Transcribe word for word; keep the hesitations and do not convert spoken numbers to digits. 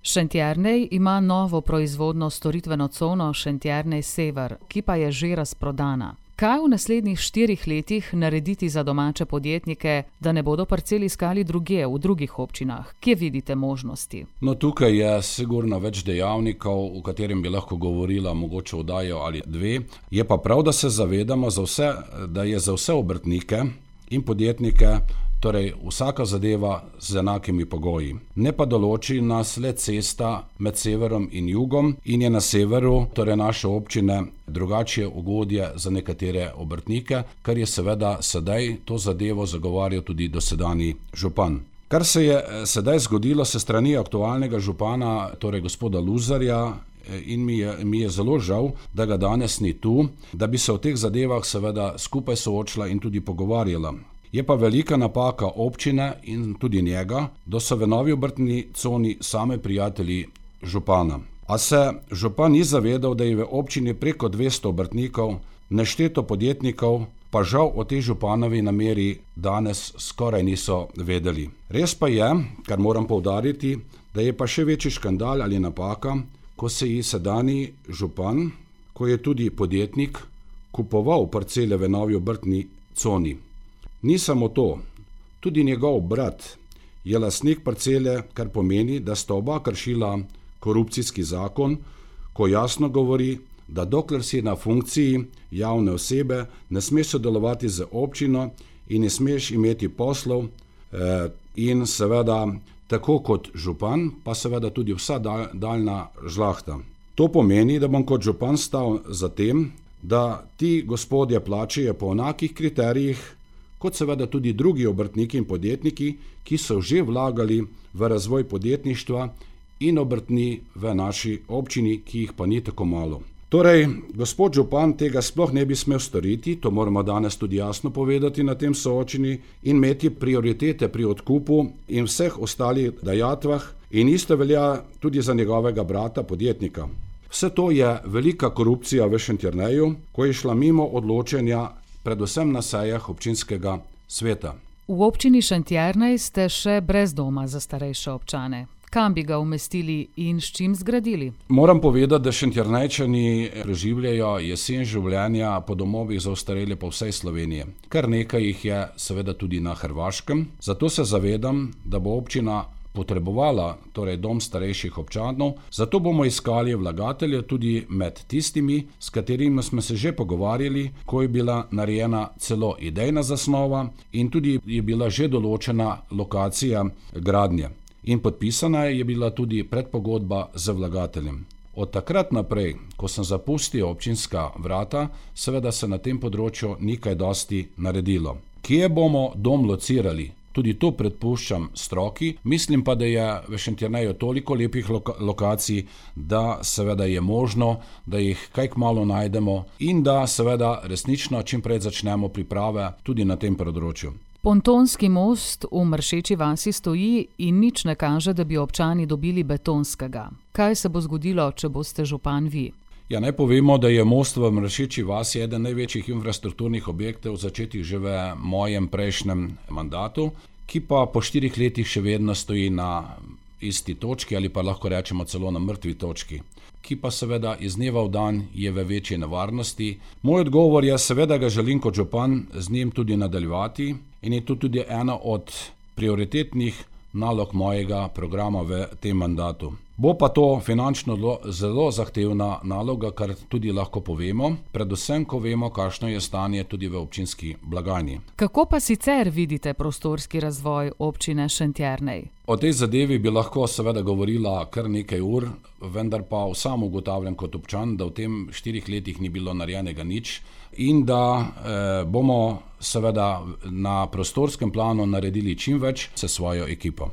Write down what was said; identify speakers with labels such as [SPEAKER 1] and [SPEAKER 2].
[SPEAKER 1] Šentjernej ima novo proizvodno storitveno cono Šentjernej Sever, ki pa je že razprodana. Kaj v naslednjih štirih letih narediti za domače podjetnike, da ne bodo parcel iskali drugje, v drugih občinah? Kje vidite možnosti?
[SPEAKER 2] No, tukaj je sigurno več dejavnikov, o katerem bi lahko govorila mogoče oddajo ali dve. Je pa prav, da se zavedamo, za vse, da je za vse obrtnike in podjetnike torej vsaka zadeva z enakimi pogoji. Ne pa določi nas le cesta med severom in jugom in je na severu, torej naše občine, drugačije ugodje za nekatere obrtnike, kar je seveda sedaj to zadevo zagovarjal tudi dosedanji župan. Kar se je sedaj zgodilo se strani aktualnega župana, torej gospoda Luzarja, in mi je, mi je zelo žal, da ga danes ni tu, da bi se o teh zadevah seveda skupaj soočila in tudi pogovarjala. Je pa velika napaka občine in tudi njega, da so v novi obrtni coni same prijatelji župana. A se župan ni zavedal, da je v občini preko dvesto obrtnikov, nešteto podjetnikov, pa žal o tej županovi nameri danes skoraj niso vedeli. Res pa je, kar moram poudariti, da je pa še večji škandal ali napaka, ko se je sedanji župan, ko je tudi podjetnik, kupoval parcele v novi obrtni coni. Ni samo to, tudi njegov brat je lastnik parcele, kar pomeni, da sta oba kršila korupcijski zakon, ko jasno govori, da dokler si na funkciji javne osebe, ne smeš sodelovati z občino in ne smeš imeti poslov eh, in seveda tako kot župan, pa seveda tudi vsa dal, daljna žlahta. To pomeni, da bom kot župan stal za tem, da ti gospodje plačajo po enakih kriterijih, kot seveda tudi drugi obrtniki in podjetniki, ki so že vlagali v razvoj podjetništva in obrtni v naši občini, ki jih pa ni tako malo. Torej, gospod župan tega sploh ne bi smel storiti, to moramo danes tudi jasno povedati na tem soočenju, in imeti prioritete pri odkupu in vseh ostalih dajatvah, in isto velja tudi za njegovega brata podjetnika. Vse to je velika korupcija v Šentjerneju, ko je šla mimo odločenja predvsem na sejah občinskega sveta.
[SPEAKER 1] V občini Šentjernej ste še brez doma za starejše občane. Kam bi ga umestili in s čim zgradili?
[SPEAKER 2] Moram povedati, da Šentjernejčani preživljajo jesen življenja po domovih za ostarele po vsej Sloveniji. Kar nekaj jih je seveda tudi na Hrvaškem, zato se zavedam, da bo občina potrebovala torej dom starejših občanov, zato bomo iskali vlagatelje tudi med tistimi, s katerimi smo se že pogovarjali, ko je bila narejena celo idejna zasnova in tudi je bila že določena lokacija gradnje. In podpisana je bila tudi predpogodba z vlagateljem. Od takrat naprej, ko sem zapustil občinska vrata, seveda se na tem področju ni kaj dosti naredilo. Kje bomo dom locirali? Tudi to predpuščam stroki, mislim pa, da je v Šentjerneju toliko lepih loka- lokacij, da seveda je možno, da jih kaj kmalu najdemo in da seveda resnično čim prej začnemo priprave tudi na tem področju.
[SPEAKER 1] Pontonski most v Mršeči vasi stoji in nič ne kaže, da bi občani dobili betonskega. Kaj se bo zgodilo, če boste župan vi?
[SPEAKER 2] Ja, naj povemo, da je most v Mršeči vasi eden največjih infrastrukturnih objektov, začetih že v mojem prejšnjem mandatu, ki pa po štirih letih še vedno stoji na isti točki ali pa lahko rečemo celo na mrtvi točki, ki pa seveda iz dneva v dan je v večji nevarnosti. Moj odgovor je, seveda ga želim kot župan z njim tudi nadaljevati in je to tudi ena od prioritetnih nalog mojega programa v tem mandatu. Bo pa to finančno zelo zahtevna naloga, kar tudi lahko povemo, predvsem, ko vemo, kakšno je stanje tudi v občinski blagajni.
[SPEAKER 1] Kako pa sicer vidite prostorski razvoj občine Šentjernej?
[SPEAKER 2] O tej zadevi bi lahko seveda govorila kar nekaj ur, vendar pa sam ugotavljam kot občan, da v tem štirih letih ni bilo narejenega nič in da eh, bomo seveda na prostorskem planu naredili čim več s svojo ekipo.